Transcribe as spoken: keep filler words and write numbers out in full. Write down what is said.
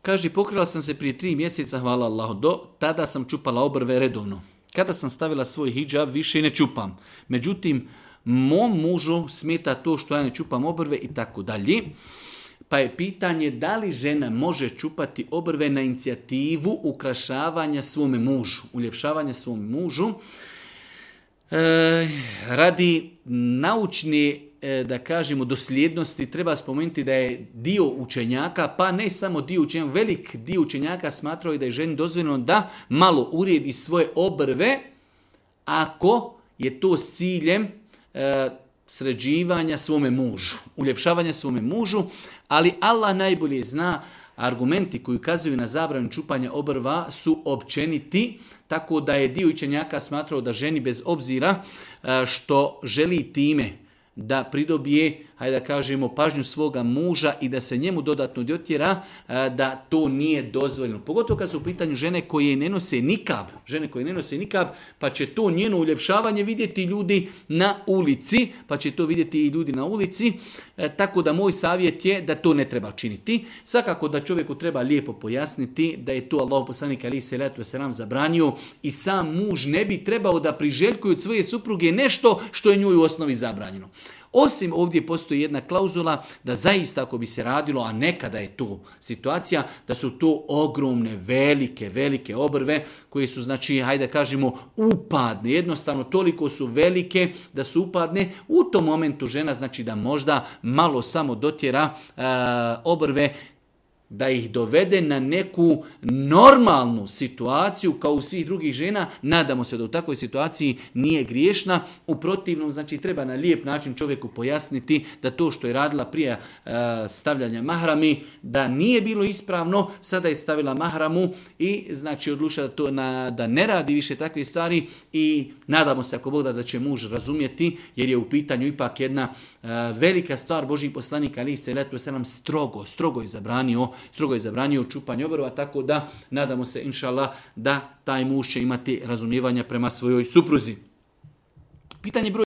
Kaže, pokrila sam se prije tri mjeseca, hvala Allahu, do tada sam čupala obrve redovno. Kada sam stavila svoj hidžab, više ne čupam. Međutim, mom mužu smeta to što ja ne čupam obrve i tako dalje. Pa je pitanje da li žena može čupati obrve na inicijativu ukrašavanja svome mužu, uljepšavanja svome mužu. E, radi naučne, e, da kažemo, dosljednosti treba spomenuti da je dio učenjaka, pa ne samo dio učenjaka, velik dio učenjaka smatrao da je ženi dozvoljeno da malo uredi svoje obrve ako je to s ciljem e, sređivanja svome mužu, uljepšavanja svome mužu, ali Allah najbolje zna. Argumenti koji ukazuju na zabranu čupanja obrva su općeniti, tako da je dio učenjaka smatrao da ženi bez obzira što želi time da pridobije, hajde da kažemo, pažnju svoga muža i da se njemu dodatno dotjera, da to nije dozvoljeno. Pogotovo kad su u pitanju žene koje ne nose nikab, žene koje ne nose nikab, pa će to njeno uljepšavanje vidjeti ljudi na ulici, pa će to vidjeti i ljudi na ulici, e, tako da moj savjet je da to ne treba činiti. Svakako da čovjeku treba lijepo pojasniti da je to Allahu poslanik alejhi selatu vesselam zabranio i sam muž ne bi trebao da priželjkuje od svoje supruge nešto što je njoj u osnovi zabranjeno. Osim ovdje postoji jedna klauzula da zaista ako bi se radilo, a nekada je to situacija, da su to ogromne, velike, velike obrve koje su, znači, hajde kažemo, upadne. Jednostavno toliko su velike da su upadne. U tom momentu žena, znači, da možda malo samo dotjera e, obrve, da ih dovede na neku normalnu situaciju kao u svih drugih žena. Nadamo se da u takvoj situaciji nije griješna. U protivnom, znači, treba na lijep način čovjeku pojasniti da to što je radila prije uh, stavljanja mahrami, da nije bilo ispravno, sada je stavila mahramu i, znači, odlučila da, to na, da ne radi više takve stvari i nadamo se, ako Bog da, da će muž razumjeti, jer je u pitanju ipak jedna uh, velika stvar. Božji poslanik alejhi selatu vesselam strogo, strogo je zabranio strogo je zabranio čupanje obrva, tako da nadamo se, inšallah, da taj muž će imati razumijevanja prema svojoj supruzi. Pitanje broj